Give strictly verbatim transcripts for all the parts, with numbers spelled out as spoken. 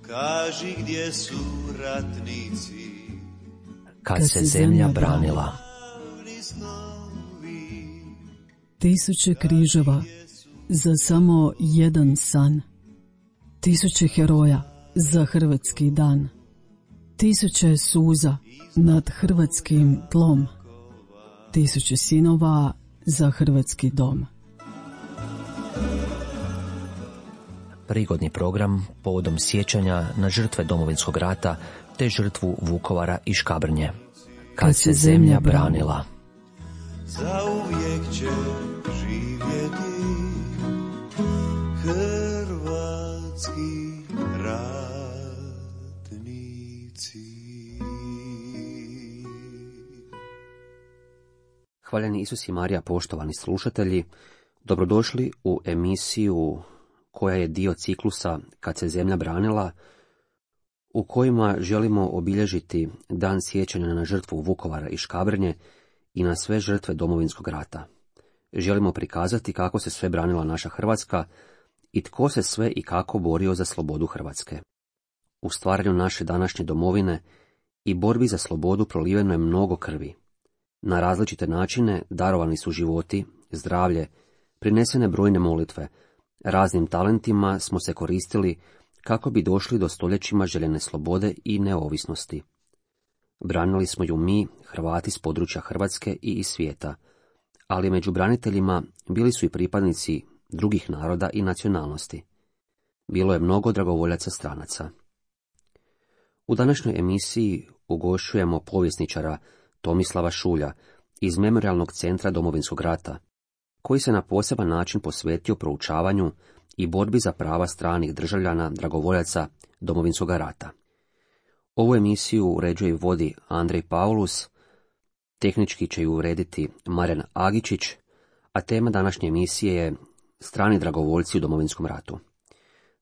kaži gdje su ratnici, kad se zemlja branila. Tisuće križeva za samo jedan san. Tisuće heroja za hrvatski dan. Tisuće suza nad hrvatskim tlom. Tisuće sinova za hrvatski dom. Prigodni program povodom sjećanja na žrtve Domovinskog rata te žrtvu Vukovara i Škabrnje. Kad se zemlja branila. Zauvijek će živjeti hrvatski ratnici. Hvaljeni Isus i Marija, poštovani slušatelji, dobrodošli u emisiju koja je dio ciklusa Kad se zemlja branila, u kojima želimo obilježiti dan sjećanja na žrtvu Vukovara i Škabrnje i na sve žrtve Domovinskog rata. Želimo prikazati kako se sve branila naša Hrvatska i tko se sve i kako borio za slobodu Hrvatske. U stvaranju naše današnje domovine i borbi za slobodu proliveno je mnogo krvi. Na različite načine darovani su životi, zdravlje, prinesene brojne molitve, raznim talentima smo se koristili kako bi došli do stoljećima željene slobode i neovisnosti. Branili smo ju mi, Hrvati s područja Hrvatske i iz svijeta, ali među braniteljima bili su i pripadnici drugih naroda i nacionalnosti. Bilo je mnogo dragovoljaca stranaca. U današnjoj emisiji ugošćujemo povjesničara Tomislava Šulja iz Memorijalnog centra Domovinskog rata, koji se na poseban način posvetio proučavanju i borbi za prava stranih državljana dragovoljaca Domovinskog rata. Ovu emisiju uređuje i vodi Andrej Paulus, tehnički će ju urediti Marijan Agičić, a tema današnje emisije je strani dragovoljci u Domovinskom ratu.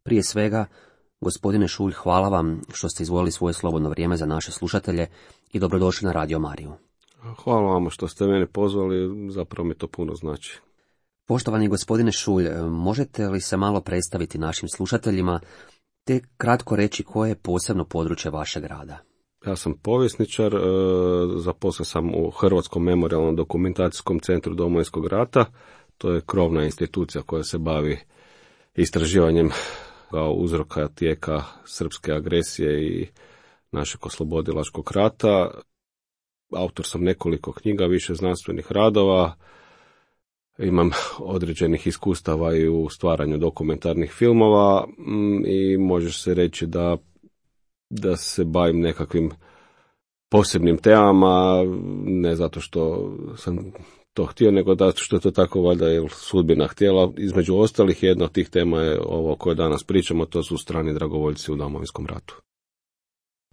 Prije svega, gospodine Šulj, hvala vam što ste izdvojili svoje slobodno vrijeme za naše slušatelje i dobrodošli na Radio Mariju. Hvala vam što ste mene pozvali, zapravo mi to puno znači. Poštovani gospodine Šulj, možete li se malo predstaviti našim slušateljima, te kratko reći koje je posebno područje vašeg rada? Ja sam povjesničar, zaposlio sam u Hrvatskom memorijalnom dokumentacijskom centru Domovinskog rata. To je krovna institucija koja se bavi istraživanjem uzroka tijeka srpske agresije i našeg oslobodilačkog rata. Autor sam nekoliko knjiga, više znanstvenih radova. Imam određenih iskustava i u stvaranju dokumentarnih filmova i može se reći da, da se bavim nekakvim posebnim temama, ne zato što sam to htio, nego zato što je to tako valjda je sudbina htjela. Između ostalih, jedna od tih tema je ovo o kojoj danas pričamo, to su strani dragovoljci u Domovinskom ratu.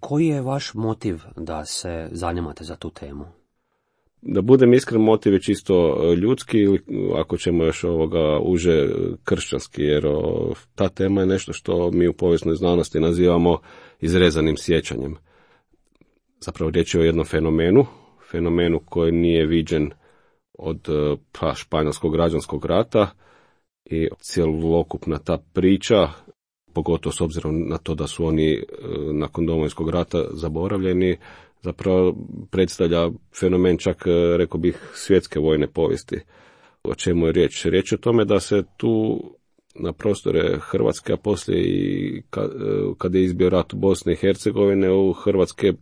Koji je vaš motiv da se zanimate za tu temu? Da budem iskren, motiv je čisto ljudski ili ako ćemo još ovoga uže kršćanski, jer o, ta tema je nešto što mi u povijesnoj znanosti nazivamo izrezanim sjećanjem. Zapravo riječ je o jednom fenomenu, fenomenu koji nije viđen od pa, španjolskog građanskog rata i cjelokupna ta priča, pogotovo s obzirom na to da su oni nakon Domovinskog rata zaboravljeni, zapravo predstavlja fenomen čak, rekao bih, svjetske vojne povijesti. O čemu je riječ? Riječ je o tome da se tu na prostore Hrvatske, a poslije i kada je izbio rat u Bosne i Hercegovine, u hrvatske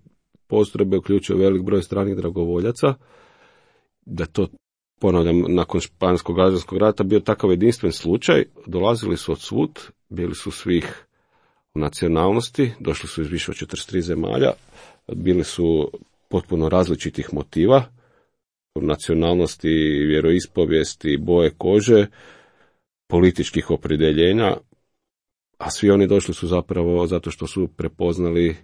postrojbe uključio velik broj stranih dragovoljaca, da to, ponavljam, nakon španjolskog građanskog rata bio takav jedinstven slučaj, dolazili su od svud, bili su svih nacionalnosti, došli su iz više od četrdeset tri zemalja, bili su potpuno različitih motiva, nacionalnosti, vjeroispovijesti, boje kože, političkih opredjeljenja, a svi oni došli su zapravo zato što su prepoznali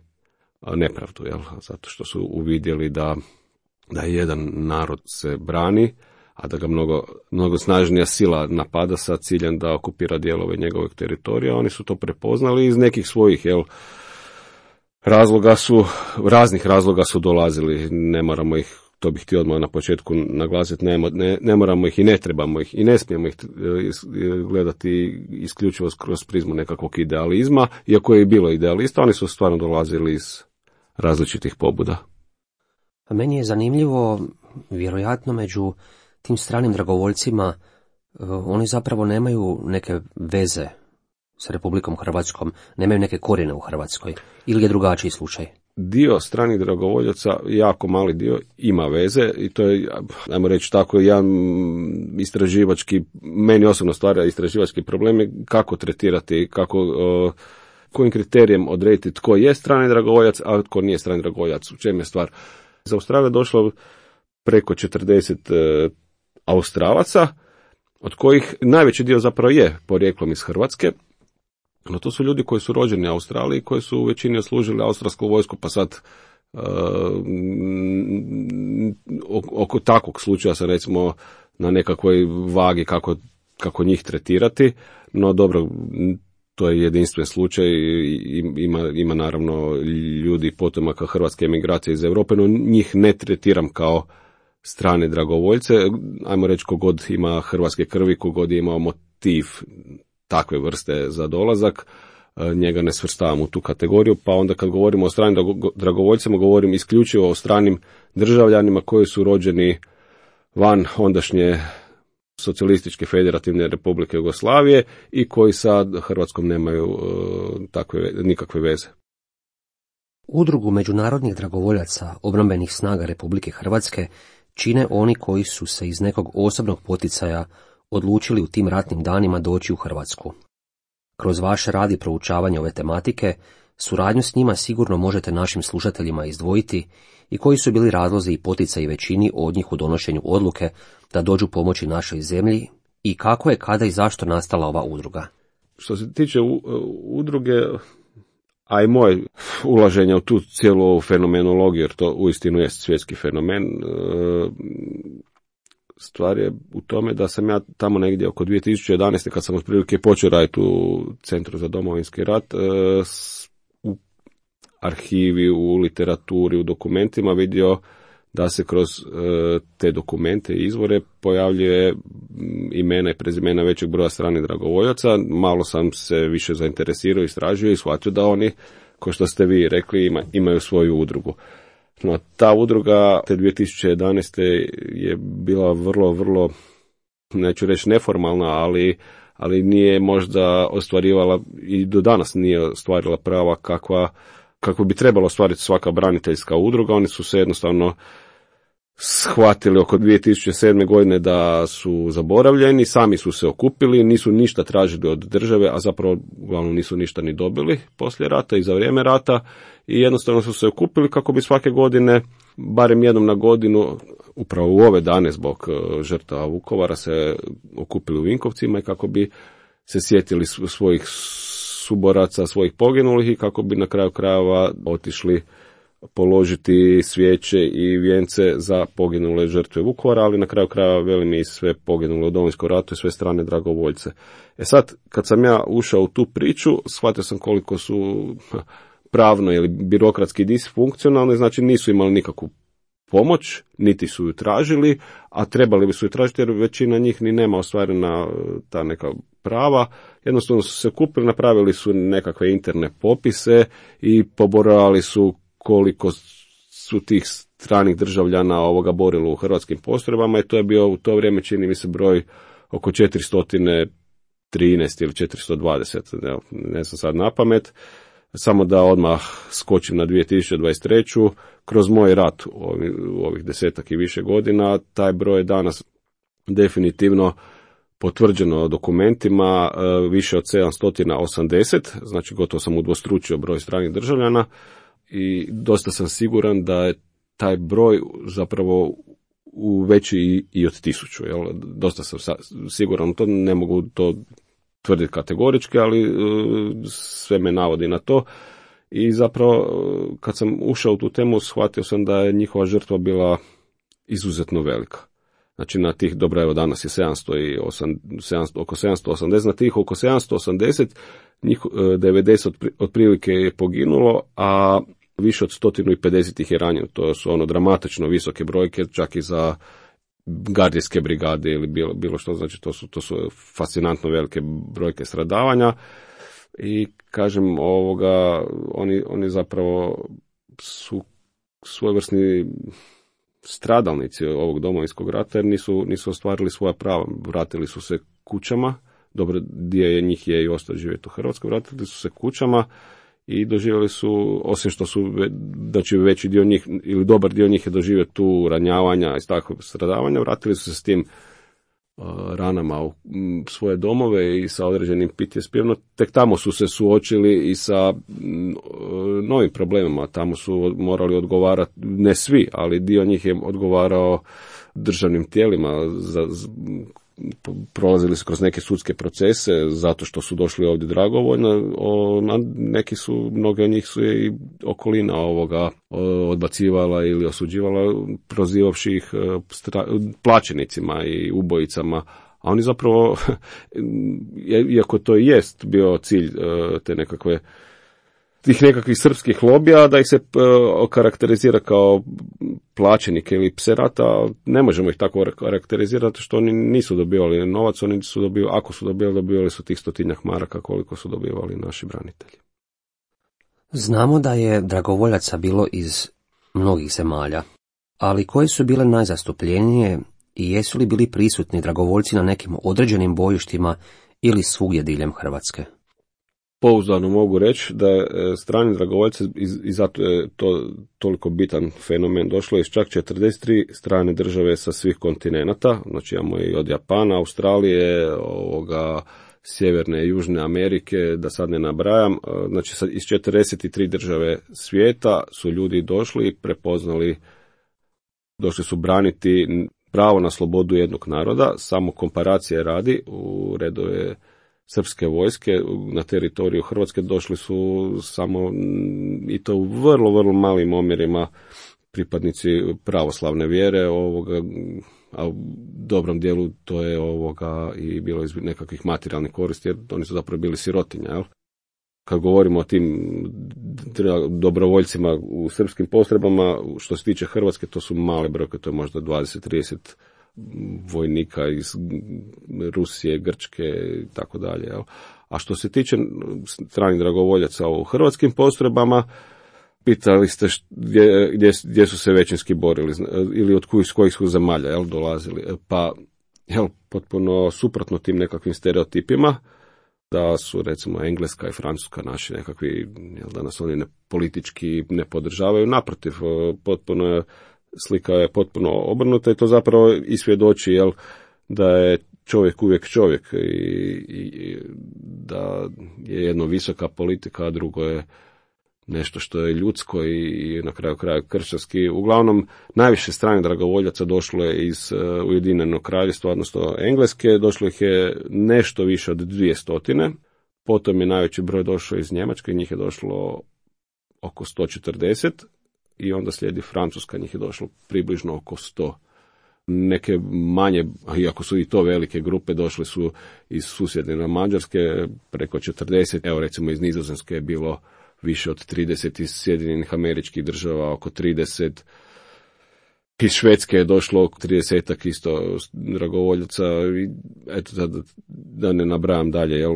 nepravdu, jel? Zato što su uvidjeli da, da jedan narod se brani, a da ga mnogo, mnogo snažnija sila napada sa ciljem da okupira dijelove njegovog teritorija. Oni su to prepoznali iz nekih svojih, jel, razloga su, raznih razloga su dolazili, ne moramo ih to bih htio odmah na početku naglasiti, ne, ne, ne moramo ih i ne trebamo ih i ne smijemo ih gledati isključivo kroz prizmu nekakvog idealizma, iako je i bilo idealista, oni su stvarno dolazili iz različitih pobuda. A meni je zanimljivo, vjerojatno među tim stranim dragovoljcima, oni zapravo nemaju neke veze s Republikom Hrvatskom, nemaju neke korijene u Hrvatskoj, ili je drugačiji slučaj? Dio stranih dragovoljaca, jako mali dio, ima veze i to je, ajmo reći tako, jedan istraživački, meni osobno stvara istraživački problem je kako tretirati, kako, uh, kojim kriterijem odrediti tko je strani dragovoljac, a tko nije strani dragovoljac, u čem je stvar. Za Australiju je došlo preko četrdeset uh, Australaca, od kojih najveći dio zapravo je porijeklom iz Hrvatske. No to su ljudi koji su rođeni u Australiji, koji su u većini oslužili australsku vojsku, pa sad uh, oko takvog slučaja sam recimo na nekakvoj vagi kako, kako njih tretirati, no dobro, to je jedinstven slučaj, ima, ima naravno ljudi potomaka hrvatske emigracije iz Europe, no njih ne tretiram kao strane dragovoljce, ajmo reći kogod ima hrvatske krvi, kogod je imao motiv takve vrste za dolazak, njega ne svrstavam u tu kategoriju, pa onda kad govorimo o stranim dragovoljcima, govorim isključivo o stranim državljanima koji su rođeni van ondašnje Socijalističke federativne Republike Jugoslavije i koji sa Hrvatskom nemaju uh, takve, nikakve veze. Udrugu međunarodnih dragovoljaca obrambenih snaga Republike Hrvatske čine oni koji su se iz nekog osobnog poticaja odlučili u tim ratnim danima doći u Hrvatsku. Kroz vaš rad i proučavanje ove tematike, suradnju s njima sigurno možete našim slušateljima izdvojiti i koji su bili razlozi i poticaji većini od njih u donošenju odluke da dođu pomoći našoj zemlji i kako je, kada i zašto nastala ova udruga. Što se tiče udruge, a i moje ulaženje u tu cijelu fenomenologiju, jer to uistinu je svjetski fenomen, stvar je u tome da sam ja tamo negdje oko dvije tisuće jedanaeste kad sam otprilike počeo raditi u Centru za Domovinski rat, u arhivi, u literaturi, u dokumentima vidio da se kroz te dokumente i izvore pojavljuje imena i prezimena većeg broja stranih dragovoljaca. Malo sam se više zainteresirao, istražio i shvatio da oni, kao što ste vi rekli, ima, imaju svoju udrugu. No, ta udruga te dvije tisuće jedanaeste je bila vrlo, vrlo, neću reći neformalna, ali, ali nije možda ostvarivala i do danas nije ostvarila prava kakva, kako bi trebalo ostvariti svaka braniteljska udruga. Oni su se jednostavno shvatili oko dvije tisuće sedme godine da su zaboravljeni, sami su se okupili, nisu ništa tražili od države, a zapravo uglavnom nisu ništa ni dobili poslije rata i za vrijeme rata i jednostavno su se okupili kako bi svake godine, barem jednom na godinu, upravo u ove dane zbog žrtava Vukovara se okupili u Vinkovcima i kako bi se sjetili svojih suboraca, svojih poginulih i kako bi na kraju krajeva otišli položiti svijeće i vijence za poginule žrtve Vukovara, ali na kraju krajeva velim i sve poginule u Domovinskom ratu i sve strane dragovoljce. E sad, kad sam ja ušao u tu priču, shvatio sam koliko su pravno ili birokratski disfunkcionalni, znači nisu imali nikakvu pomoć, niti su ju tražili, a trebali bi su ju tražiti jer većina njih ni nema ostvarena ta neka prava. Jednostavno su se kupili, napravili su nekakve interne popise i pobrojali su koliko su tih stranih državljana ovoga borilo u hrvatskim postrojbama i to je bio u to vrijeme, čini mi se, broj oko četiristo trinaest ili četiristo dvadeset, ne, ne znam sad na pamet. Samo da odmah skočim na dvije tisuće dvadeset treću. Kroz moj rat u ovih, u ovih desetak i više godina, taj broj je danas definitivno potvrđeno dokumentima više od sedamsto osamdeset, znači gotovo sam udvostručio broj stranih državljana i dosta sam siguran da je taj broj zapravo u veći i od tisuću. Jel? Dosta sam siguran, to ne mogu to tvrditi kategorički, ali sve me navodi na to. I zapravo kad sam ušao u tu temu shvatio sam da je njihova žrtva bila izuzetno velika. Znači na tih, dobro evo danas je sedamsto i osam, sedamsto, oko sedamsto osamdeset, na tih oko sedamsto osamdeset, njih devedeset otprilike je poginulo, a više od sto pedeset ih je ranjeno. To su ono dramatično visoke brojke, čak i za gardijske brigade ili bilo, bilo što, znači to su, to su fascinantno velike brojke stradavanja i kažem ovoga, oni, oni zapravo su svojevrsni stradalnici ovog Domovinskog rata jer nisu, nisu ostvarili svoja prava. Vratili su se kućama, dobro dio je njih je i ostao živjeti u Hrvatskoj, vratili su se kućama i doživjeli su, osim što su, znači veći dio njih ili dobar dio njih je doživio tu ranjavanja i takvog stradavanja, vratili su se s tim uh, ranama u m, svoje domove i sa određenim P T S P-om, tek tamo su se suočili i sa m, novim problemima, tamo su morali odgovarati, ne svi, ali dio njih je odgovarao državnim tijelima za, za prolazili su kroz neke sudske procese zato što su došli ovdje dragovoljno, o, neki su, mnoge od njih su je i okolina ovoga odbacivala ili osuđivala, prozivavši ih stra, plaćenicima i ubojicama, a oni zapravo, iako to jest bio cilj te nekakve tih nekakvih srpskih lobija, da ih se okarakterizira kao plaćenike ili pse rata, ne možemo ih tako karakterizirati što oni nisu dobivali novac, oni su dobivali, ako su dobivali, dobivali su tih stotinjak maraka koliko su dobivali naši branitelji. Znamo da je dragovoljaca bilo iz mnogih zemalja, ali koje su bile najzastupljenije i jesu li bili prisutni dragovoljci na nekim određenim bojištima ili svugdje diljem Hrvatske? Pouzdano mogu reći da je strani dragovoljci, i zato je to toliko bitan fenomen, došlo iz čak četrdeset tri strane države sa svih kontinenata, znači imamo i od Japana, Australije, ovoga, Sjeverne i Južne Amerike, da sad ne nabrajam, znači iz četrdeset tri države svijeta su ljudi došli i prepoznali, došli su braniti pravo na slobodu jednog naroda, samo komparacije radi u redove srpske vojske na teritoriju Hrvatske došli su samo, i to u vrlo, vrlo malim omjerima, pripadnici pravoslavne vjere, ovoga, a u dobrom dijelu to je ovoga i bilo iz nekakvih materijalnih koristi, jer oni su zapravo bili sirotinja, jel? Kad govorimo o tim dobrovoljcima u srpskim postrojbama, što se tiče Hrvatske, to su male brojke, to je možda dvadeset trideset vojnika iz Rusije, Grčke i tako dalje. A što se tiče stranih dragovoljaca u hrvatskim postrojbama, pitali ste gdje, gdje, gdje su se većinski borili ili od kojih, kojih su zemalja jel, dolazili. Pa jel, potpuno suprotno tim nekakvim stereotipima, da su recimo Engleska i Francuska naši nekakvi, jel, da nas oni ne, politički ne podržavaju, naprotiv, potpuno je slika je potpuno obrnuta i to zapravo i svjedoči jel, da je čovjek uvijek čovjek i, i da je jedno visoka politika, a drugo je nešto što je ljudsko i na kraju kraja kršćanski. Uglavnom, najviše stranih dragovoljaca došlo je iz uh, Ujedinjenog kraljevstva, odnosno Engleske, došlo ih je nešto više od dvije stotine, potom je najveći broj došao iz Njemačke, njih je došlo oko sto četrdeset, i onda slijedi Francuska, njih je došlo približno oko sto. Neke manje, iako su i to velike grupe, došle su iz susjedne Mađarske preko četrdeset, evo recimo iz Nizozemske je bilo više od trideset, iz Sjedinjenih Američkih Država oko trideset, iz Švedske je došlo oko tridesetak isto dragovoljaca, i eto da, da ne nabrajam dalje, jel?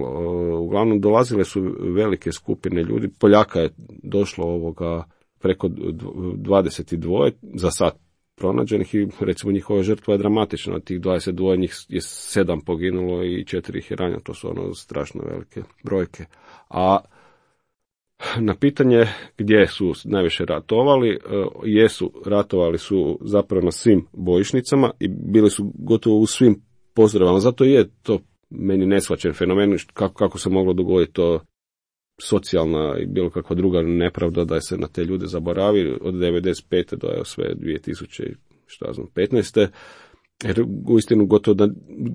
Uglavnom dolazile su velike skupine ljudi, Poljaka je došlo ovoga preko dvadeset dva za sad pronađenih i recimo njihova žrtva je dramatična, od tih dvadeset dva njih je sedam poginulo i četiri ih je ranjeno, to su ono strašno velike brojke. A na pitanje gdje su najviše ratovali, jesu, ratovali su zapravo na svim bojišnicama i bili su gotovo u svim postrojbama, zato je to meni neshvaćen fenomen, kako, kako se moglo dogoditi to socijalna i bilo kakva druga nepravda da se na te ljude zaboravi od devedeset pete do sve dvije tisuće petnaeste. Jer uistinu gotovo da,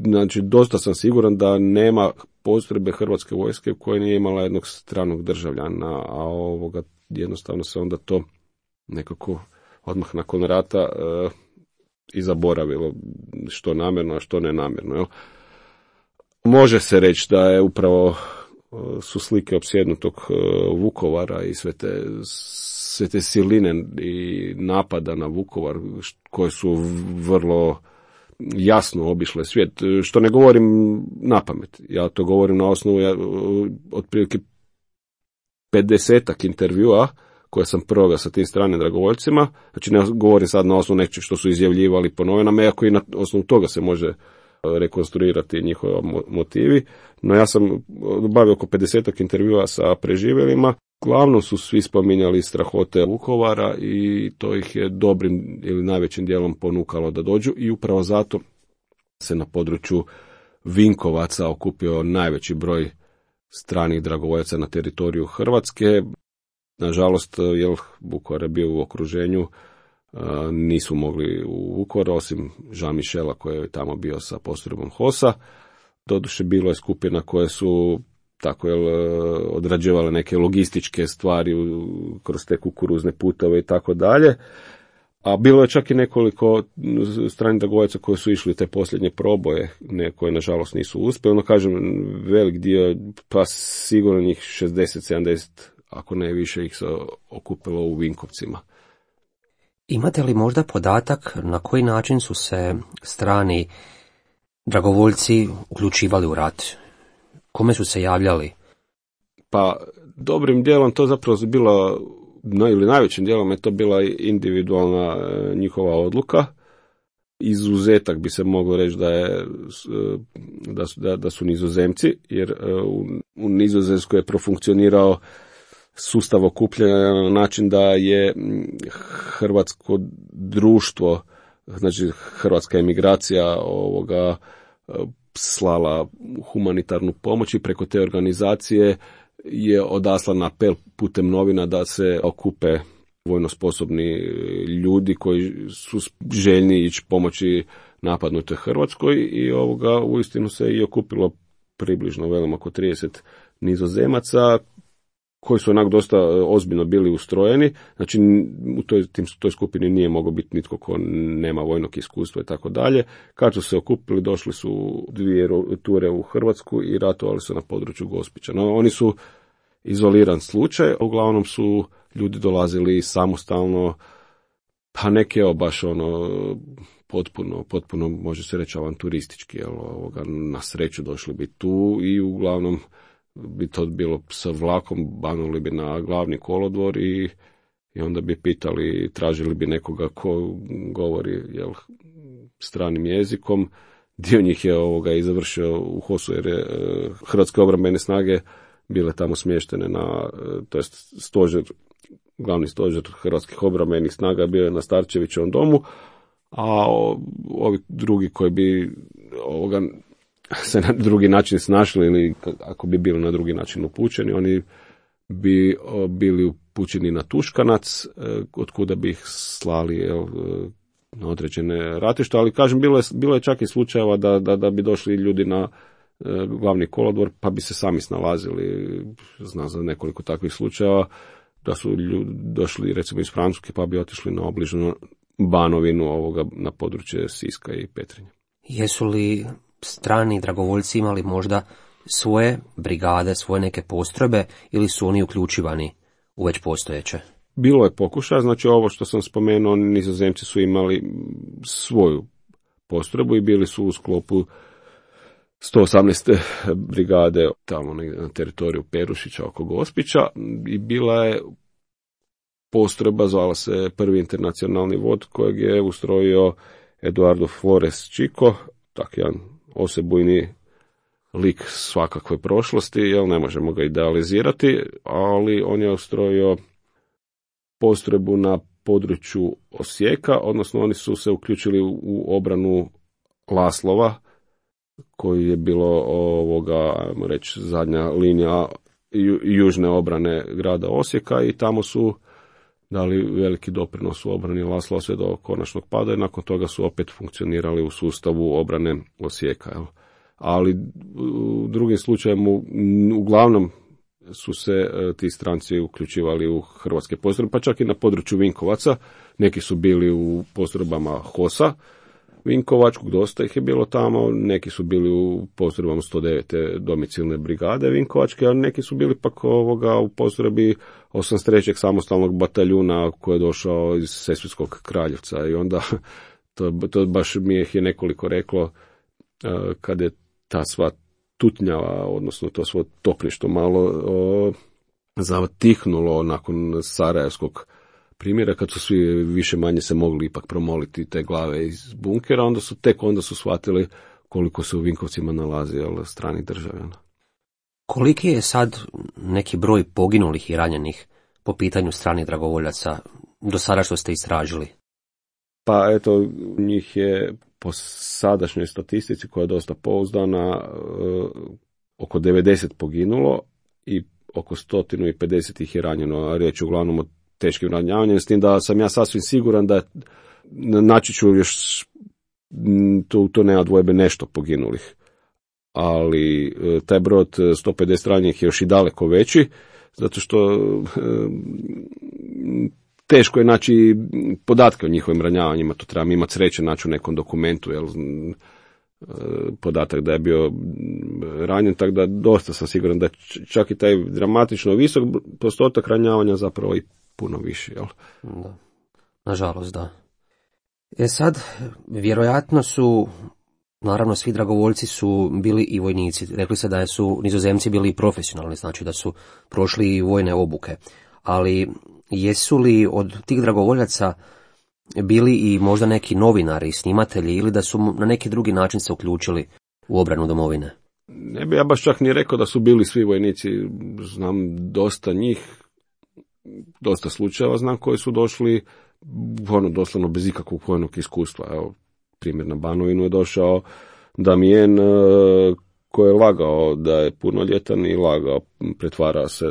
znači dosta sam siguran da nema postrojbe hrvatske vojske koja nije imala jednog stranog državljana, a ovoga jednostavno se onda to nekako odmah nakon rata e, i zaboravilo, što namjerno, a što nenamjerno. Jel? Može se reći da je upravo su slike opsjednutog Vukovara i sve te, sve te siline i napada na Vukovar koje su vrlo jasno obišle svijet, što ne govorim na pamet. Ja to govorim na osnovu ja, otprilike pedesetak intervjua koje sam proveo sa tim stranim dragovoljcima. Znači ne govorim sad na osnovu nečeg što su izjavljivali po novinama, iako i na osnovu toga se može rekonstruirati njihova motivi. No ja sam obavio oko pedesetak intervjua sa preživjelima. Glavno su svi spominjali strahote Vukovara i to ih je dobrim ili najvećim dijelom ponukalo da dođu i upravo zato se na području Vinkovaca okupio najveći broj stranih dragovoljaca na teritoriju Hrvatske. Nažalost, jer Vukovar je bio u okruženju, nisu mogli u Vukovar, osim Jean Michela koji je tamo bio sa postrojbom Hosa. Doduše bilo je skupina koje su tako jel, odrađivale neke logističke stvari kroz te kukuruzne putove i tako dalje. A bilo je čak i nekoliko stranih dragovoljaca koji su išli te posljednje proboje, ne, koje nažalost nisu uspjeli. No kažem, velik dio, pa sigurno njih šezdeset sedamdeset, ako ne više, ih se okupilo u Vinkovcima. Imate li možda podatak na koji način su se strani dragovoljci uključivali u rat? Kome su se javljali? Pa dobrim dijelom to zapravo bila, no, ili najvećim dijelom je to bila individualna e, njihova odluka. Izuzetak bi se moglo reći da, je, da, su, da, da su Nizozemci, jer e, u, u Nizozemskoj je profunkcionirao sustav okupljanja na način da je hrvatsko društvo, znači hrvatska emigracija ovoga slala humanitarnu pomoć i preko te organizacije je odaslan apel putem novina da se okupe vojno sposobni ljudi koji su željni ići pomoći napadnutoj Hrvatskoj i ovoga uistinu se i okupilo približno velim oko trideset Nizozemaca koji su onak dosta ozbiljno bili ustrojeni, znači u toj, tim, toj skupini nije mogao biti nitko ko nema vojnog iskustva i tako dalje. Kad su se okupili, došli su dvije ture u Hrvatsku i ratovali su na području Gospića. No, oni su izoliran slučaj, uglavnom su ljudi dolazili samostalno, pa neke evo baš ono potpuno, potpuno može se reći avanturistički, jel, ovoga, na sreću došli bi tu i uglavnom bi to bilo sa vlakom, banuli bi na glavni kolodvor i, i onda bi pitali, tražili bi nekoga ko govori jel, stranim jezikom. Dio njih je ovoga i završio u Hosu jer je e, Hrvatske obrambene snage bile tamo smještene na, e, to jest stožer, glavni stožer Hrvatskih obrambenih snaga bio je na Starčevićevom domu, a o, ovi drugi koji bi ovoga se na drugi način snašli ili ako bi bili na drugi način upućeni, oni bi bili upućeni na Tuškanac, od kuda bi ih slali jel, na određene ratišta, ali kažem, bilo je, bilo je čak i slučajeva da, da, da bi došli ljudi na glavni kolodvor, pa bi se sami snalazili, znam za nekoliko takvih slučajeva, da su ljudi došli recimo iz Francuske, pa bi otišli na obližnu Banovinu ovoga, na područje Siska i Petrinje. Jesu li strani dragovoljci imali možda svoje brigade, svoje neke postrojbe ili su oni uključivani u već postojeće? Bilo je pokušaja, znači ovo što sam spomenuo, Nizozemci su imali svoju postrojbu i bili su u sklopu sto osamnaeste brigade tamo na teritoriju Perušića oko Gospića i bila je postrojba, zvala se Prvi internacionalni vod kojeg je ustrojio Eduardo Flores Chico, tak jedan osebujni lik svakakve prošlosti, jel ne možemo ga idealizirati, ali on je ustrojio postrojbu na području Osijeka, odnosno oni su se uključili u obranu Laslova, koji je bilo ovoga, ajmo reći, zadnja linija ju, južne obrane grada Osijeka i tamo su dali veliki doprinos u obrani Laslova sve do konačnog pada i nakon toga su opet funkcionirali u sustavu obrane Osijeka. Jel? Ali u drugim slučajevima uglavnom su se ti stranci uključivali u hrvatske postrojbe, pa čak i na području Vinkovaca. Neki su bili u postrojbama Hosa, Vinkovačkog, dosta ih je bilo tamo, neki su bili u postrojbama sto devete domicilne brigade Vinkovačke, a neki su bili pak ovoga u postrojbi osamdeset trećeg samostalnog bataljuna koji je došao iz Sesvetskog Kraljevca i onda to, to baš mi je nekoliko reklo kad je ta sva tutnjava, odnosno to svo topništvo malo o, zatihnulo nakon Sarajevskog primjera, kad su svi više manje se mogli ipak promoliti te glave iz bunkera, onda su tek onda su shvatili koliko se u Vinkovcima nalazi jel, stranih državljana. Koliki je sad neki broj poginulih i ranjenih po pitanju stranih dragovoljaca do sada što ste istražili? Pa eto, njih je po sadašnjoj statistici koja je dosta pouzdana oko devedeset poginulo i oko sto pedeset ih je ranjeno, a riječ je uglavnom o teškim ranjavanjem, s tim da sam ja sasvim siguran da naći ću još tu, to nema dvojbe nešto poginulih. Ali taj broj od sto pedeset ranjenih je još i daleko veći, zato što teško je naći podatke o njihovim ranjavanjima, to trebam imati sreće naći u nekom dokumentu, jel, podatak da je bio ranjen, tako da dosta sam siguran da čak i taj dramatično visok postotak ranjavanja zapravo i puno više, jel? Da. Nažalost, da. E sad, vjerojatno su, naravno svi dragovoljci su bili i vojnici. Rekli ste da su Nizozemci bili i profesionalni, znači da su prošli i vojne obuke. Ali jesu li od tih dragovoljaca bili i možda neki novinari, snimatelji, ili da su na neki drugi način se uključili u obranu domovine? Ne bi ja baš čak ni rekao da su bili svi vojnici. Znam dosta njih, dosta slučajeva znam koji su došli ono, doslovno bez ikakvog vojnog iskustva. Evo, primjer na Banovinu je došao Damijen koji je lagao da je punoljetan i lagao, pretvara se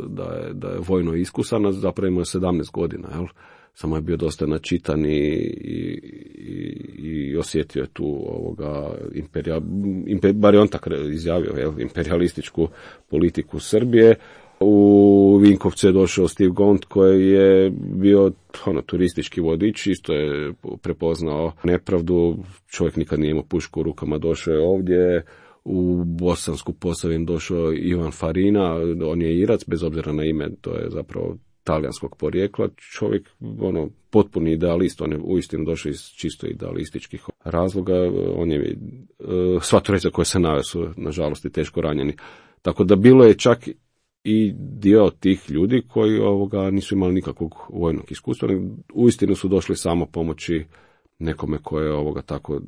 da je, da je vojno iskusan, a zapravo imao je sedamnaest godina, jel? Samo je bio dosta načitan i, i, i osjetio je tu ovoga imperijal, imper, bar je on tako izjavio, jel, imperialističku politiku Srbije. U Vinkovce je došao Steve Gaunt koji je bio ono, turistički vodič, isto je prepoznao nepravdu, čovjek nikad nije imao pušku u rukama, došao je ovdje. U Bosansku Posavinu došao Ivan Farina, on je Irac, bez obzira na ime, to je zapravo talijanskog porijekla, čovjek ono, potpuni idealist, on je uistinu došao iz čisto idealističkih razloga, on je, sva trojica koje se naveo su nažalost i teško ranjeni. Tako da bilo je čak i dio tih ljudi koji ovoga nisu imali nikakvog vojnog iskustva, uistinu su došli samo pomoći nekome koje je ovoga tako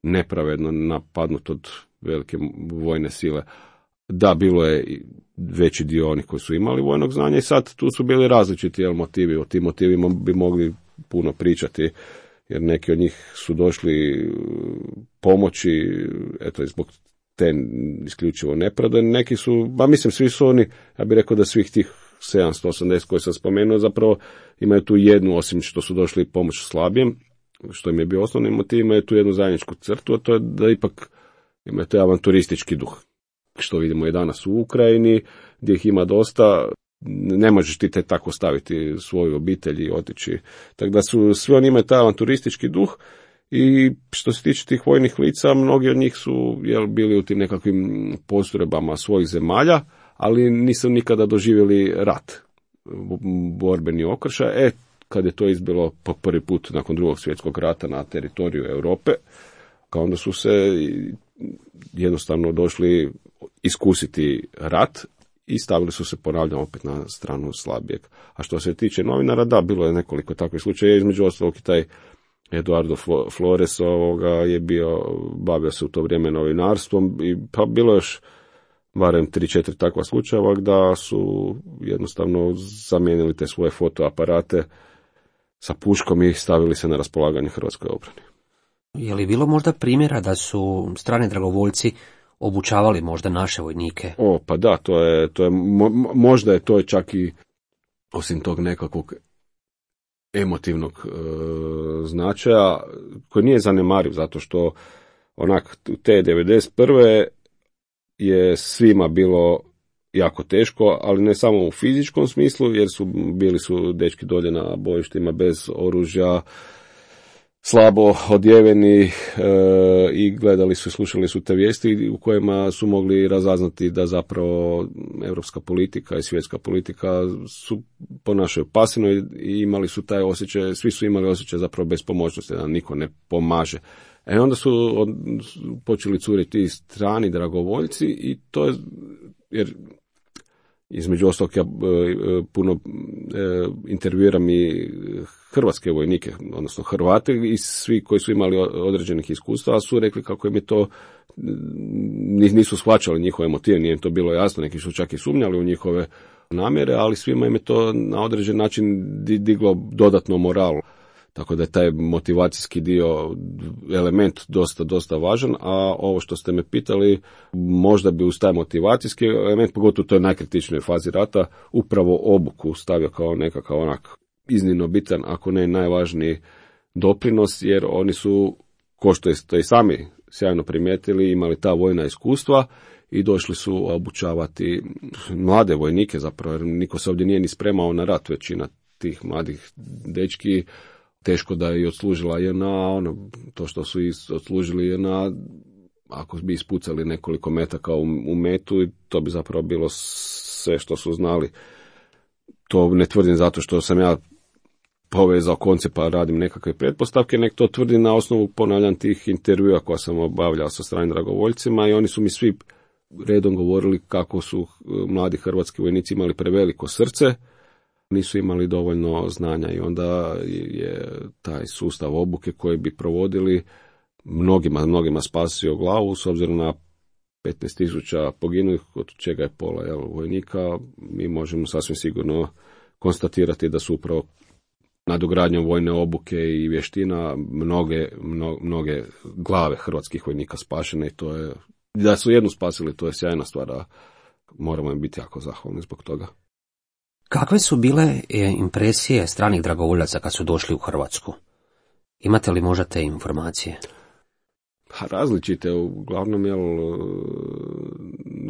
nepravedno napadnut od velike vojne sile. Da, bilo je veći dio onih koji su imali vojnog znanja i sad tu su bili različiti jel, motivi. O tim motivima bi mogli puno pričati, jer neki od njih su došli pomoći, eto, zbog te isključivo nepravde. Neki su, ba mislim, svi su oni, ja bih rekao da svih tih sedamsto osamdeset koje sam spomenuo, zapravo imaju tu jednu, osim što su došli pomoć slabijem, što im je bio osnovni motiv, imaju tu jednu zajedničku crtu, a to je da ipak imaju taj avanturistički duh. Što vidimo i danas u Ukrajini, gdje ih ima dosta, ne možeš ti te tako staviti svoju obitelj i otići. Tako da su, svi oni imaju taj avanturistički duh i što se tiče tih vojnih lica, mnogi od njih su jel, bili u tim nekakvim postrojbama svojih zemalja, ali nisu nikada doživjeli rat, borbeni okršaj. E, kad je to izbilo po prvi put nakon drugog svjetskog rata na teritoriju Europe, kao onda su se jednostavno došli iskusiti rat i stavili su se, ponavljam, opet na stranu slabijeg. A što se tiče novinara, da, bilo je nekoliko takvih slučaja, između ostalog i taj Eduardo Flores ovoga je bio, bavio se u to vrijeme novinarstvom i pa bilo još barem tri četiri takva slučajeva da su jednostavno zamijenili te svoje fotoaparate sa puškom i stavili se na raspolaganje hrvatskoj obrani. Je li bilo možda primjera da su strani dragovoljci obučavali možda naše vojnike? O, pa da, to je, to je mo, možda je to čak i osim tog nekakvog emotivnog e, značaja, koji nije zanemariv, zato što onak te devedeset prve je svima bilo jako teško, ali ne samo u fizičkom smislu, jer su bili su dečki dolje na bojištima bez oružja, slabo odjeveni e, i gledali su i slušali su te vijesti u kojima su mogli razaznati da zapravo europska politika i svjetska politika su ponašaju pasivno i imali su taj osjećaj, svi su imali osjećaj zapravo bespomoćnosti, da niko ne pomaže. E onda su od, počeli curiti i strani dragovoljci i to je, jer između ostalog ja puno e, intervjuiram i hrvatske vojnike, odnosno Hrvate i svi koji su imali određenih iskustava su rekli kako im je to, nisu shvaćali njihove motive, nije im to bilo jasno, neki su čak i sumnjali u njihove namjere, ali svima im je to na određen način diglo dodatno moral. Tako da je taj motivacijski dio element dosta, dosta važan, a ovo što ste me pitali, možda bi uz taj motivacijski element, pogotovo u toj najkritičnoj fazi rata, upravo obuku stavio kao nekakav onak iznimno bitan, ako ne najvažniji doprinos, jer oni su, ko što ste i sami sjajno primijetili, imali ta vojna iskustva i došli su obučavati mlade vojnike zapravo, jer niko se ovdje nije ni spremao na rat, većina tih mladih dečki teško da je i odslužila J N A, ono, to što su odslužili J N A, ako bi ispucali nekoliko metaka u, u metu, to bi zapravo bilo sve što su znali. To ne tvrdim zato što sam ja povezao koncept pa radim nekakve pretpostavke, nek to tvrdim na osnovu, ponavljam, tih intervjua koja sam obavljao sa stranim dragovoljcima i oni su mi svi redom govorili kako su mladi hrvatski vojnici imali preveliko srce, nisu imali dovoljno znanja i onda je taj sustav obuke koji bi provodili mnogima, mnogima spasio glavu s obzirom na petnaest tisuća poginulih, od čega je pola jel, vojnika. Mi možemo sasvim sigurno konstatirati da su upravo nadogradnjom vojne obuke i vještina mnoge, mno, mnoge glave hrvatskih vojnika spašene i to je, da su jednu spasili, to je sjajna stvar, a moramo im biti jako zahvalni zbog toga. Kakve su bile impresije stranih dragovoljaca kad su došli u Hrvatsku? Imate li možda te informacije? Različite, uglavnom, jel,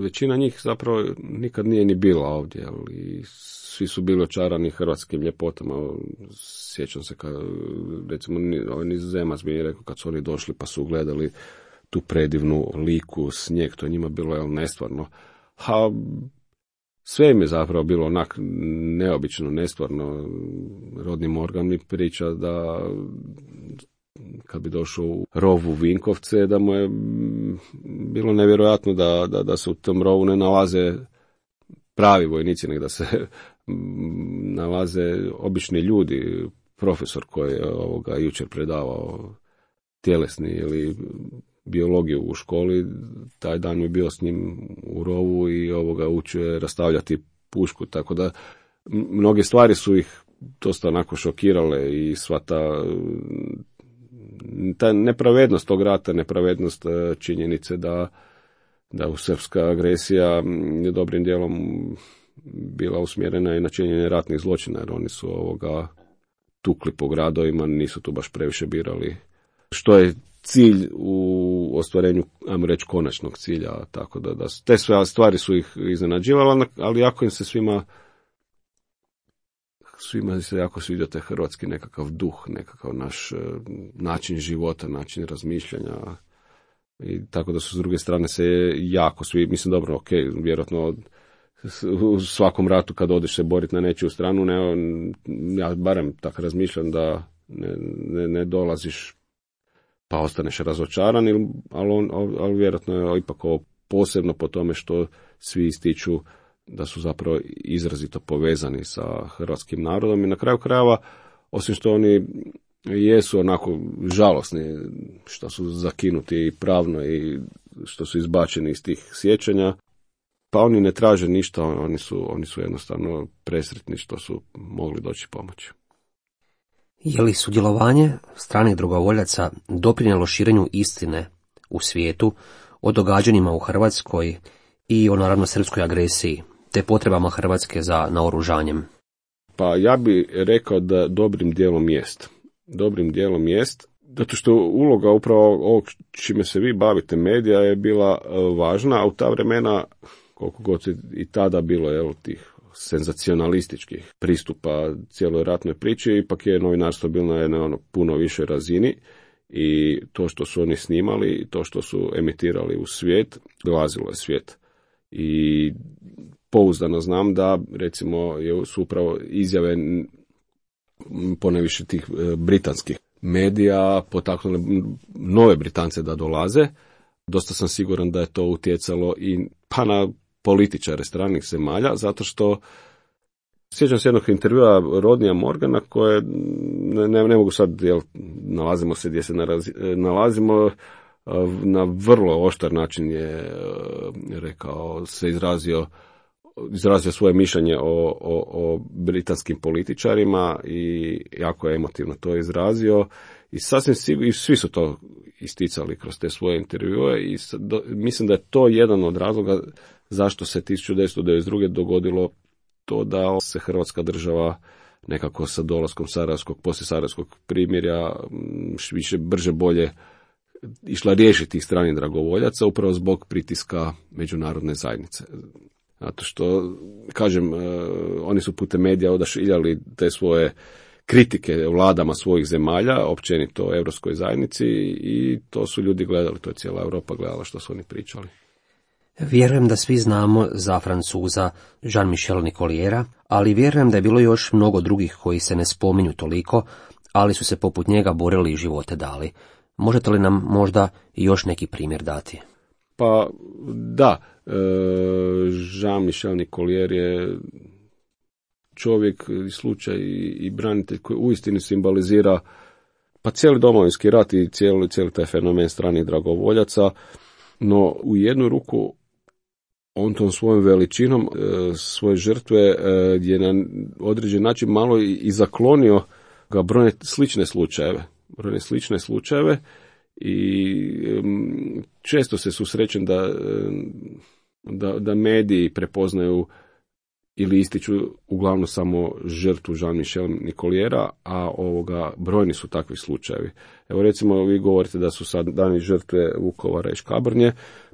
većina njih zapravo nikad nije ni bila ovdje, jel, i svi su bili očarani hrvatskim ljepotama. Sjećam se kad, recimo, ovaj Nizozemac mi je rekao kad su oni došli pa su gledali tu predivnu liku, snijeg, to je njima bilo, jel, nestvarno. A sve im je zapravo bilo onak neobično, nestvarno. Rodni Morgan mi priča da kad bi došao u rov u Vinkovce, da mu je bilo nevjerojatno da, da, da se u tom rovu ne nalaze pravi vojnici, nego da se nalaze obični ljudi. Profesor koji je ovoga jučer predavao tjelesni ili biologiju u školi, taj dan je bio s njim u rovu i ovoga učio je rastavljati pušku, tako da mnoge stvari su ih dosta onako šokirale i sva ta, ta nepravednost tog rata, nepravednost činjenice da, da u srpska agresija je dobrim dijelom bila usmjerena i na činjenje ratnih zločina, jer oni su ovoga tukli po gradovima, nisu tu baš previše birali što je cilj u ostvarenju, ajmo reći, konačnog cilja, tako da, da te sve stvari su ih iznenađivale, ali jako im se svima svima se jako sviđa taj hrvatski nekakav duh, nekakav naš način života, način razmišljanja i tako da su s druge strane se jako svi, mislim dobro, ok, vjerojatno u svakom ratu kad odeš se boriti na nečiju stranu, ne, ja barem tako razmišljam da ne, ne, ne dolaziš pa ostaneš razočaran, ali, on, ali vjerojatno je ipak ovo posebno po tome što svi ističu da su zapravo izrazito povezani sa hrvatskim narodom i na kraju krajeva, osim što oni jesu onako žalosni što su zakinuti i pravno i što su izbačeni iz tih sjećanja, pa oni ne traže ništa, oni su, oni su jednostavno presretni što su mogli doći pomoći. Je li sudjelovanje stranih dragovoljaca doprinijelo širenju istine u svijetu o događanjima u Hrvatskoj i o naravno srpskoj agresiji, te potrebama Hrvatske za naoružanjem? Pa ja bih rekao da dobrim dijelom jest. Dobrim dijelom jest, zato što uloga upravo ovog čime se vi bavite, medija, je bila važna, a u ta vremena, koliko god je i tada bilo, jel, tih senzacionalističkih pristupa cijeloj ratnoj priči, ipak je novinarstvo bilo na jednoj ono, puno više razini i to što su oni snimali, to što su emitirali u svijet, dolazilo je svijet. I pouzdano znam da, recimo, su upravo izjave ponajviše tih britanskih medija potaknule nove Britance da dolaze. Dosta sam siguran da je to utjecalo i pa na političare stranih zemalja, zato što sjećam se jednog intervjua Rodnija Morgana koje, ne, ne, ne mogu sad, jel, nalazimo se gdje se narazi, nalazimo, na vrlo oštar način je rekao, se izrazio izrazio svoje mišljenje o, o, o britanskim političarima i jako je emotivno to izrazio i sasvim sigurno, i svi su to isticali kroz te svoje intervjue i do, mislim da je to jedan od razloga zašto se tisuću devetsto devedeset druge dogodilo to da se Hrvatska država nekako sa dolaskom Sarajevskog, poslije Sarajevskog primirja više brže bolje išla riješiti tih stranih dragovoljaca upravo zbog pritiska međunarodne zajednice. Zato što, kažem, oni su putem medija odašiljali te svoje kritike vladama svojih zemalja, općenito Europskoj zajednici i to su ljudi gledali, to je cijela Europa gledala što su oni pričali. Vjerujem da svi znamo za Francuza Jean-Michel Nicoliera, ali vjerujem da je bilo još mnogo drugih koji se ne spominju toliko, ali su se poput njega borili i živote dali. Možete li nam možda još neki primjer dati? Pa da, e, Jean-Michel Nicolier je čovjek i slučaj i branitelj koji uistinu simbolizira pa cijeli Domovinski rat i cijeli, cijeli taj fenomen stranih dragovoljaca, no u jednu ruku on tom svojom veličinom e, svoje žrtve e, je na određen način malo i, i zaklonio ga brojne slične slučajeve, brojne slične slučajeve i um, često se susrećem da, da, da mediji prepoznaju ili ističu uglavnom samo žrtvu Jean-Michel Nicoliera, a ovoga brojni su takvi slučajevi. Evo recimo vi govorite da su sad dani žrtve Vukovara i Škabrnje,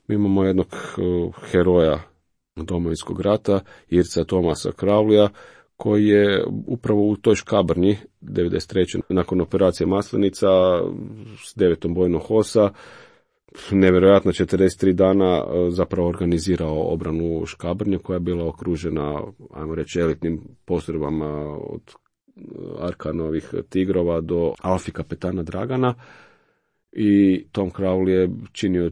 mi imamo jednog uh, heroja Domovinskog rata, Irca Tomasa Kravlija, koji je upravo u toj Škabrnji devedeset treće nakon operacije Maslenica s devetom bojnog hosa nevjerojatno četrdeset tri dana zapravo organizirao obranu Škabrnje koja je bila okružena, ajmo reći, elitnim postrojbama od Arkanovih Tigrova do Alfi kapetana Dragana i Tom Crowley je činio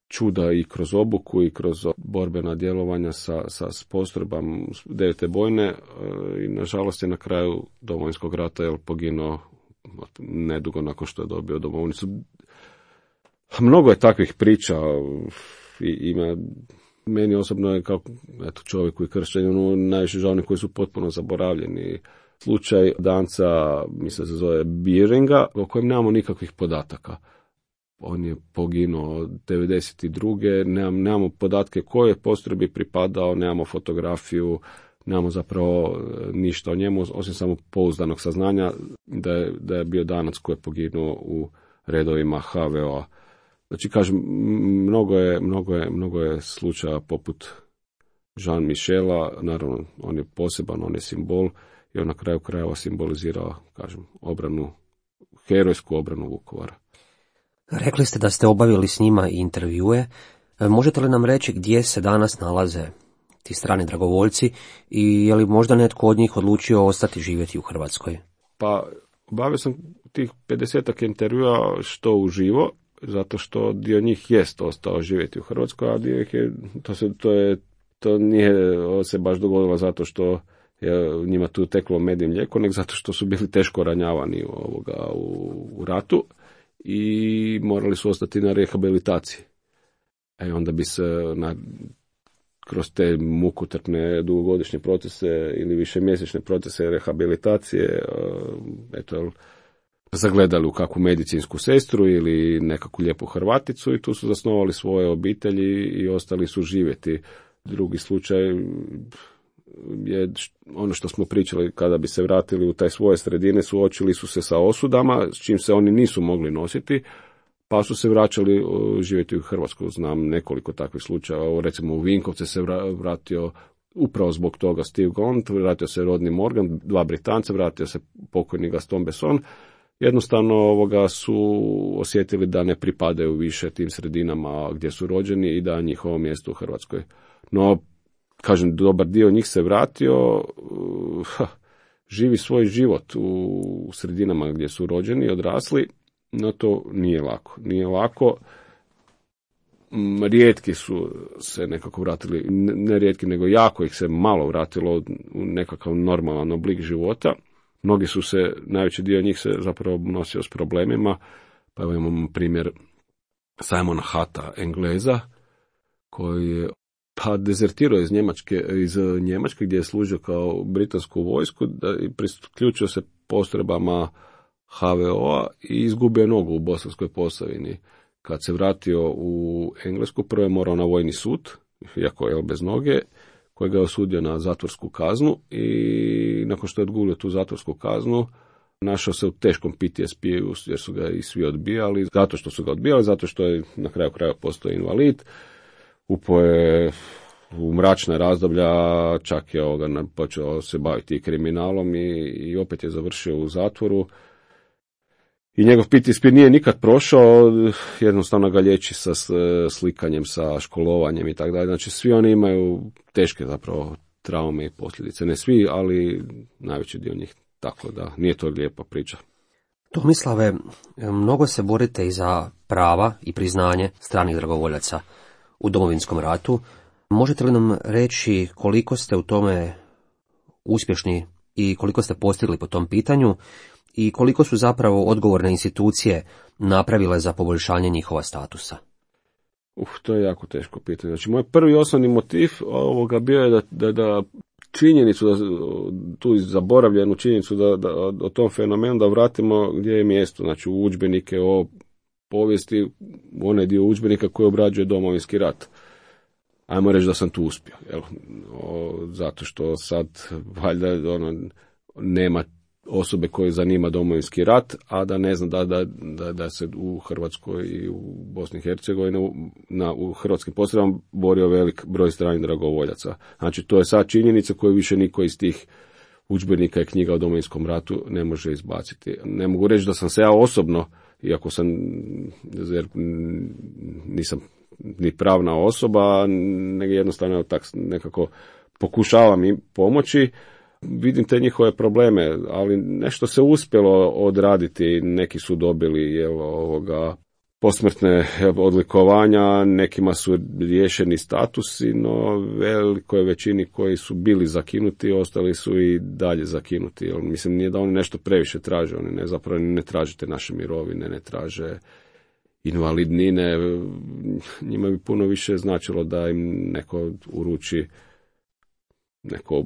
čuda i kroz obuku i kroz borbena djelovanja sa, sa postrojbama devete bojne i nažalost je na kraju Domovinskog rata je poginuo nedugo nakon što je dobio domovnicu. Mnogo je takvih priča i ima, meni osobno je kao eto, čovjek koji kršćan, ono, najviše žao koji su potpuno zaboravljeni. Slučaj Danca, mislim se zove Bieringa, o kojem nemamo nikakvih podataka. On je poginuo devedeset druge Nemam, nemamo podatke koje postrojbi pripadao, nemamo fotografiju, nemamo zapravo ništa o njemu, osim samo pouzdanog saznanja da je, da je bio Danac koji je poginuo u redovima ha ve o-a. Znači, kažem, mnogo je, mnogo je, mnogo je slučaja poput Jean-Michela, naravno, on je poseban, on je simbol i on na kraju krajeva simbolizirao, kažem, obranu, herojsku obranu Vukovara. Rekli ste da ste obavili s njima intervjue. Možete li nam reći gdje se danas nalaze ti strani dragovoljci i je li možda netko od njih odlučio ostati živjeti u Hrvatskoj? Pa, obavio sam tih pedesetak intervjua što uživo, zato što dio njih jest ostao živjeti u Hrvatskoj, a dio ih je, to, se, to, je, to nije se baš dogodilo zato što je njima tu teklo med i mlijeko, nego zato što su bili teško ranjavani ovoga, u, u ratu i morali su ostati na rehabilitaciji. E onda bi se na, kroz te mukotrpne dugogodišnje procese ili višemjesečne procese rehabilitacije eto, zagledali u kakvu medicinsku sestru ili nekakvu lijepu Hrvaticu i tu su zasnovali svoje obitelji i ostali su živjeti. Drugi slučaj je ono što smo pričali, kada bi se vratili u taj svoje sredine, suočili su se sa osudama s čim se oni nisu mogli nositi, pa su se vraćali živjeti u Hrvatsku. Znam nekoliko takvih slučajeva, recimo u Vinkovce se vratio upravo zbog toga Steve Gaunt, vratio se Rodney Morgan, dva Britanca, vratio se pokojni Gaston Besson. Jednostavno ovoga su osjetili da ne pripadaju više tim sredinama gdje su rođeni i da njihovo mjesto u Hrvatskoj. No, kažem, dobar dio njih se vratio, uh, živi svoj život u sredinama gdje su rođeni, odrasli, no to nije lako. Nije lako. Rijetki su se nekako vratili, ne rijetki, nego jako ih se malo vratilo u nekakav normalan oblik života. Mnogi su se, najveći dio njih se zapravo nosio s problemima, pa evo imamo primjer Simona Hata, Engleza, koji je pa dezertirao iz Njemačke, iz Njemačke gdje je služio kao britansku vojsku, da i priključio se postrojbama ha ve o-a i izgubio nogu u Bosanskoj Posavini. Kad se vratio u Englesku, prvo je morao na vojni sud, iako je bez noge, koji ga je osudio na zatvorsku kaznu i nakon što je odgulio tu zatvorsku kaznu, našao se u teškom P T S P-u jer su ga i svi odbijali, zato što su ga odbijali, zato što je na kraju kraja postao invalid, upao je u mračna razdoblja, čak je ovoga počeo se baviti kriminalom i, i opet je završio u zatvoru. I njegov P T S P nije nikad prošao, jednostavno ga liječi sa slikanjem, sa školovanjem i tako dalje. Znači svi oni imaju teške zapravo traume i posljedice. Ne svi, ali najveći dio njih. Tako da nije to lijepa priča. Tomislave, mnogo se borite i za prava i priznanje stranih dragovoljaca u Domovinskom ratu. Možete li nam reći koliko ste u tome uspješni i koliko ste postigli po tom pitanju? I koliko su zapravo odgovorne institucije napravile za poboljšanje njihova statusa? Uf, to je jako teško pitanje. Znači, moj prvi osnovni motiv ovoga bio je da, da, da činjenicu, da, tu zaboravljenu činjenicu da, da, o tom fenomenu da vratimo gdje je mjesto. Znači, u udžbenike o povijesti, u onaj dio udžbenika koji obrađuje Domovinski rat. Ajmo reći da sam tu uspio. Jel? O, zato što sad, valjda, ono, nema osobe koje zanima Domovinski rat, a da ne zna da, da, da, da se u Hrvatskoj i u Bosni i Hercegovini na, u hrvatskim postrojbama borio velik broj stranih dragovoljaca. Znači, to je sad činjenica koju više niko iz tih udžbenika i knjiga o Domovinskom ratu ne može izbaciti. Ne mogu reći da sam se ja osobno, iako sam, jer nisam ni pravna osoba, nego jednostavno tak nekako pokušavam im pomoći. Vidim te njihove probleme, ali nešto se uspjelo odraditi, neki su dobili jel, ovoga, posmrtne odlikovanja, nekima su riješeni statusi, no velikoj većini koji su bili zakinuti, ostali su i dalje zakinuti. Jel, mislim, nije da oni nešto previše traže, oni ne, zapravo ne traže te naše mirovine, ne traže invalidnine, njima bi puno više značilo da im neko uruči neku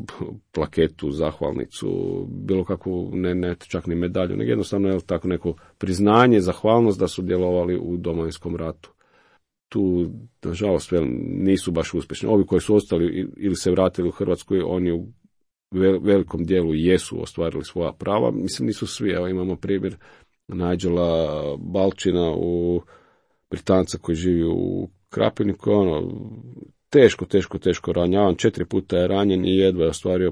plaketu, zahvalnicu, bilo kakvu, ne, ne čak ni medalju, nego jednostavno je tako neko priznanje, zahvalnost da su djelovali u Domovinskom ratu. Tu, nažalost, nisu baš uspješni. Ovi koji su ostali ili se vratili u Hrvatsku, oni u velikom dijelu jesu ostvarili svoja prava. Mislim, nisu svi. Evo, imamo primjer Nigela Balčina, u Britanca koji živi u Krapiniku, ono, teško, teško, teško ranjavan, četiri puta je ranjen i jedva je ostvario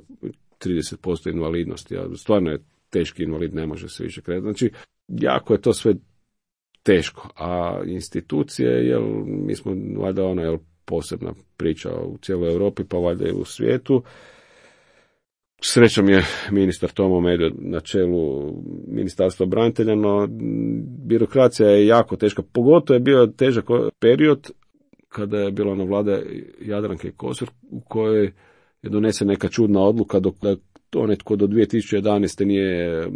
trideset posto invalidnosti. A stvarno je teški invalid, ne može se više kretati. Znači, jako je to sve teško. A institucije, jel, mi smo valjda ona jel, posebna priča u cijeloj Europi, pa valjda i u svijetu. Srećom je ministar Tomo Medved na čelu Ministarstva branitelja, no birokracija je jako teška. Pogotovo je bio težak period kada je bila na vlada Jadranke Kosor, u kojoj je donese neka čudna odluka dok to netko do dvije tisuće jedanaeste nije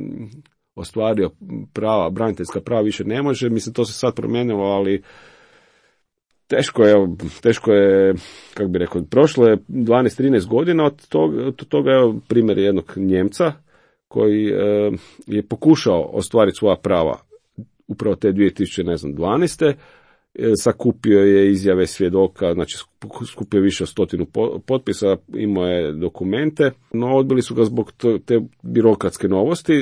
ostvario prava, braniteljska prava više ne može. Mislim, to se sad promijenilo, ali teško je, teško je, kako bi rekao, prošlo je dvanaest trinaest godina od toga, od toga je primjer jednog Njemca koji e, je pokušao ostvariti svoja prava upravo te dvije tisuće dvanaeste. Sakupio je izjave svjedoka, znači skupio više od stotinu potpisa, imao je dokumente, no odbili su ga zbog te birokratske novosti,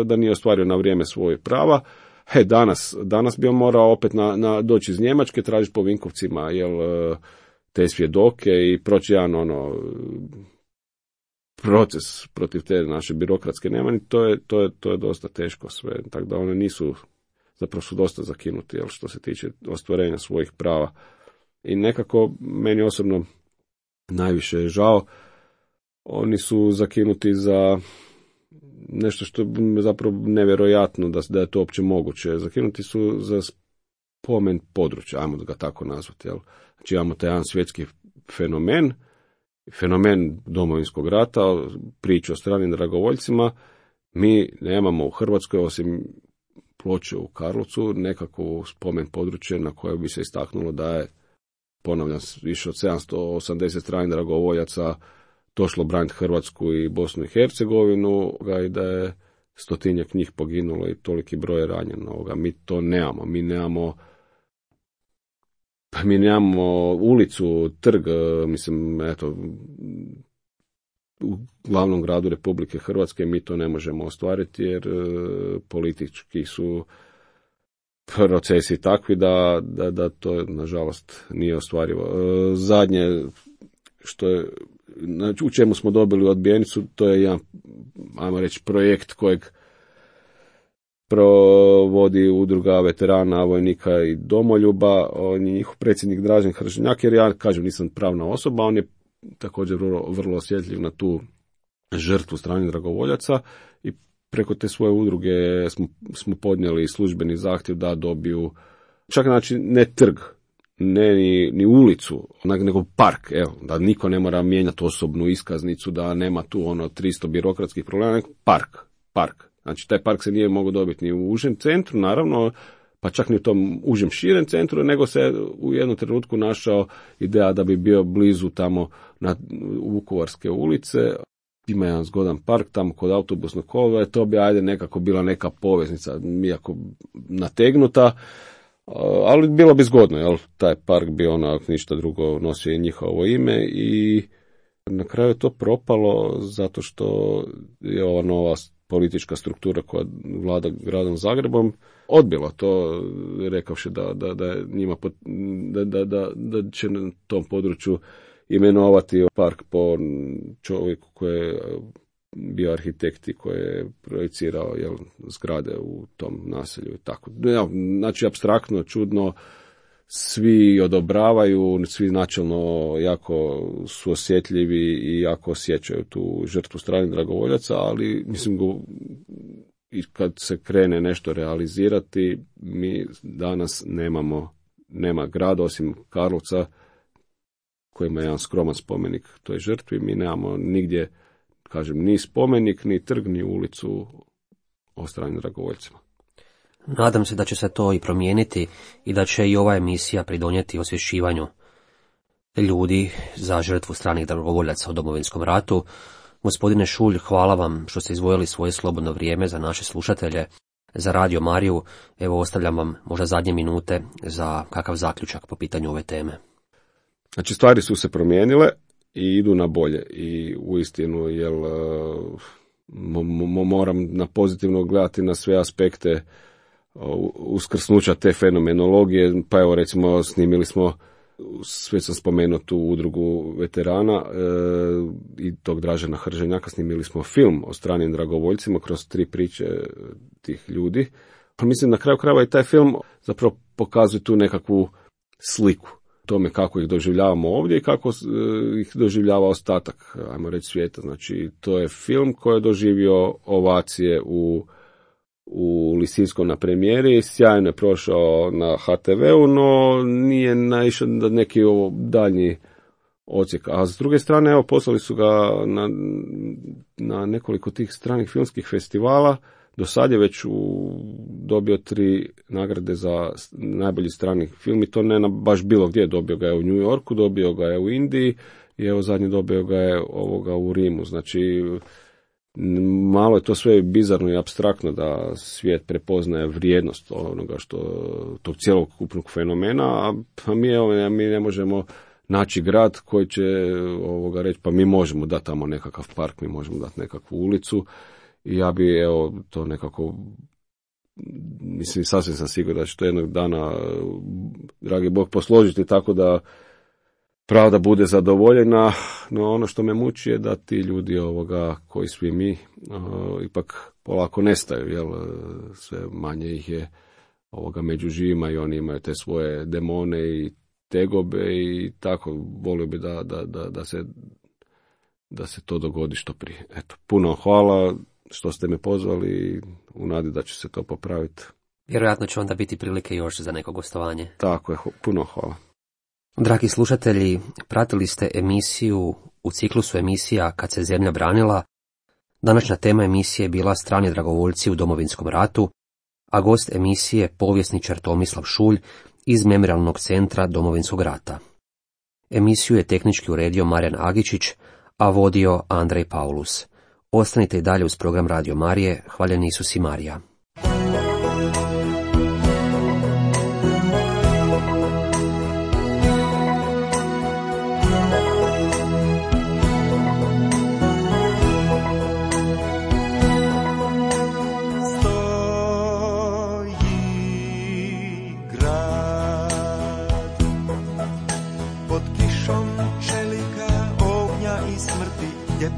da nije ostvario na vrijeme svoje prava. He, danas, danas bi on morao opet na, na, doći iz Njemačke, tražiti po Vinkovcima, jel, te svjedoke i proći jedan ono proces protiv te naše birokratske nemani, to je, to je, to je dosta teško sve, tako da one nisu, zapravo su dosta zakinuti, jel, što se tiče ostvarenja svojih prava. I nekako meni osobno najviše je žao, oni su zakinuti za nešto što je zapravo nevjerojatno da, da je to uopće moguće. Zakinuti su za spomen područja, ajmo ga tako nazvati. Jel? Znači imamo taj jedan svjetski fenomen, fenomen Domovinskog rata, priču o stranim dragovoljcima. Mi nemamo u Hrvatskoj, osim ploče u Karlovcu, nekako spomen područje na koje bi se istaknulo da je, ponavljam, više od sedamsto osamdeset stranih dragovoljaca došlo braniti Hrvatsku i Bosnu i Hercegovinu i da je stotinjak njih poginulo i toliki broj ranjeno. Mi to nemamo. Mi nemamo mi nemamo ulicu, trg, mislim, eto, u glavnom gradu Republike Hrvatske mi to ne možemo ostvariti jer politički su procesi takvi da, da, da to nažalost nije ostvarivo. Zadnje što je, znači, u čemu smo dobili odbijenicu, to je jedan, ajmo reći, projekt kojeg provodi udruga veterana, vojnika i domoljuba. On je njihov predsjednik Dražen Hrženjak, jer ja, kažem, nisam pravna osoba, on je također vrlo, vrlo osjetljiv na tu žrtvu stranih dragovoljaca i preko te svoje udruge smo, smo podnijeli službeni zahtjev da dobiju, čak znači ne trg, ne ni, ni ulicu, nego park, evo, da niko ne mora mijenjati osobnu iskaznicu, da nema tu ono tristo birokratskih problema, nego park, park. Znači, taj park se nije mogao dobiti ni u užem centru, naravno, pa čak ni u tom užem širem centru, nego se u jednom trenutku našao ideja da bi bio blizu tamo na Vukovarske ulice. Ima jedan zgodan park tamo kod autobusnog kolodvora, to bi ajde nekako bila neka poveznica, iako nategnuta, ali bilo bi zgodno, jel? Taj park bi onak ništa drugo nosio i njihovo ime i na kraju je to propalo zato što je ova nova politička struktura koja vlada gradom Zagrebom odbila to, rekavši da, da, da, je njima pot, da, da, da, da će na tom području imenovati park po čovjeku koji je bio arhitekt i koji je projicirao, jel, zgrade u tom naselju i tako. Ja, znači, apstraktno, čudno, svi odobravaju, svi načelno jako su osjetljivi i jako osjećaju tu žrtvu stranih dragovoljaca, ali mislim go, i kad se krene nešto realizirati, mi danas nemamo, nema grada osim Karlovca koji ima jedan skroman spomenik toj žrtvi, mi nemamo nigdje, kažem, ni spomenik, ni trg, ni ulicu o stranim dragovoljcima. Nadam se da će se to i promijeniti i da će i ova emisija pridonijeti osvješćivanju ljudi za žrtvu stranih dragovoljaca u Domovinskom ratu. Gospodine Šulj, hvala vam što ste izdvojili svoje slobodno vrijeme za naše slušatelje, za Radio Mariju. Evo, ostavljam vam možda zadnje minute za kakav zaključak po pitanju ove teme. Znači, stvari su se promijenile i idu na bolje i uistinu, jel, moram na pozitivno gledati na sve aspekte uskrsnuća te fenomenologije, pa evo recimo snimili smo, sve sam spomenuo tu udrugu veterana e, i tog Dražena Hrženjaka, snimili smo film o stranim dragovoljcima kroz tri priče tih ljudi. Pa mislim na kraju krajeva i taj film zapravo pokazuje tu nekakvu sliku tome kako ih doživljavamo ovdje i kako ih doživljava ostatak, ajmo reći, svijeta. Znači, to je film koji je doživio ovacije u u Lisinskom na premijeri, sjajno je prošao na ha te veu, no nije naišao na neki daljnji odsjek. A s druge strane, evo, poslali su ga na, na nekoliko tih stranih filmskih festivala. Do sad je već u, dobio tri nagrade za najbolji strani film i to ne na baš bilo gdje. Dobio ga je u New Yorku, dobio ga je u Indiji i evo zadnji dobio ga je ovoga u Rimu. Znači, malo je to sve bizarno i apstraktno da svijet prepoznaje vrijednost onoga što, tog cjelokupnog fenomena, a mi, evo, mi ne možemo naći grad koji će ovoga reći, pa mi možemo dati tamo nekakav park, mi možemo dati nekakvu ulicu i ja bi, evo, to nekako, mislim, sasvim sam siguran da će to jednog dana, dragi Bog, posložiti tako da pravda bude zadovoljena, no ono što me muči je da ti ljudi ovoga, koji svi mi, uh, ipak polako nestaju, jel, sve manje ih je ovoga među živima i oni imaju te svoje demone i tegobe i tako, volio bi da, da, da, da, se, da se to dogodi što prije. Eto, puno hvala što ste me pozvali, u nadi da će se to popraviti. Vjerojatno će onda biti prilike još za neko gostovanje. Tako je, puno hvala. Dragi slušatelji, pratili ste emisiju u ciklusu emisija Kad se zemlja branila. Današnja tema emisije je bila Strani dragovoljci u Domovinskom ratu, a gost emisije povjesničar Tomislav Šulj iz Memorijalnog centra Domovinskog rata. Emisiju je tehnički uredio Marijan Agičić, a vodio Andrej Paulus. Ostanite i dalje uz program Radio Marije, hvaljeni Isus i Marija.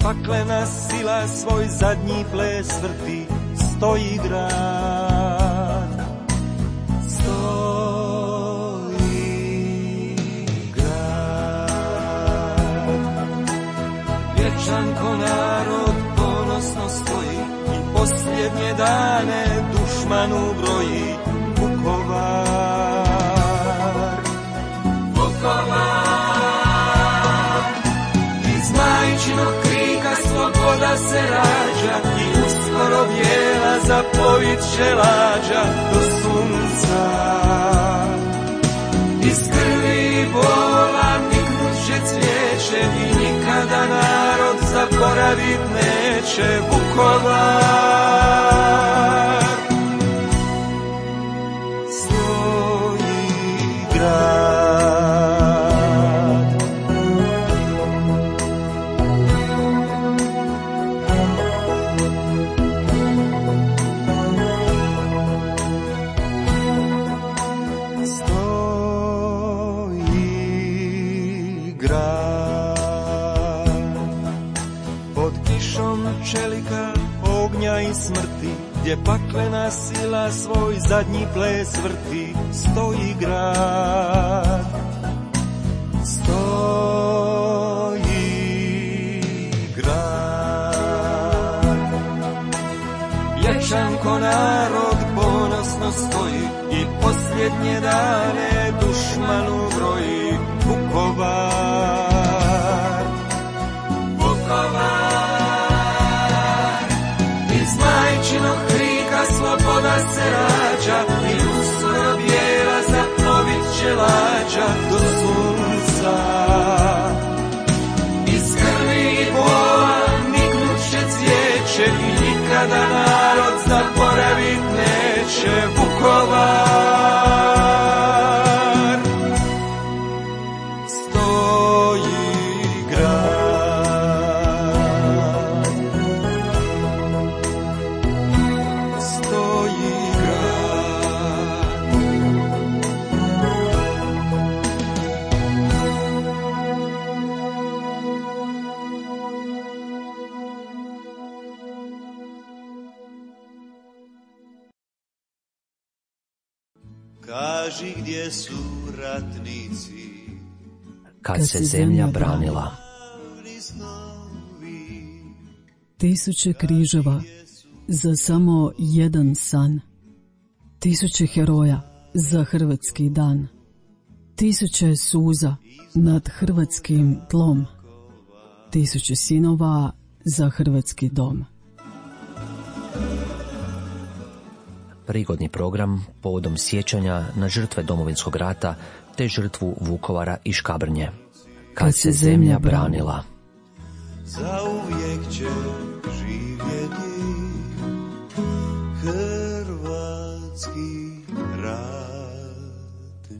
Paklena sila svoj zadnji ples vrti, stoji grad, stoji grad. Vječan ko narod ponosno stoji i posljednje dane dušmanu broji. Vukovar, Vukovar, iz majčinog sloboda se rađa i uskoro bijela zapojit će lađa do sunca. Iz krvi bola niknut će cvijeće i nikada narod zaboravit neće. Vukovar, stoji grad. Smrti, gdje paklena sila svoj zadnji ples vrti, stoji grad, stoji grad. Vječan ko narod ponosno stoji i posljednje dane dušmanu broji. Vukovar, Vukovar, majčinog krika sloboda se rađa i uskoro bijela zaplovit će lađa do sunca. Iz krvi i bola niknut će cvijeće i nikada narod zaboravit neće. Vukovar, stoji grad. Kaži gdje su ratnici kad se zemlja branila. Tisuće križeva za samo jedan san. Tisuće heroja za hrvatski dan. Tisuće suza nad hrvatskim tlom. Tisuće sinova za hrvatski dom. Prigodni program povodom sjećanja na žrtve Domovinskog rata te žrtvu Vukovara i Škabrnje. Kad se zemlja branila. Zauvijek će živjeti hrvatski ratnici.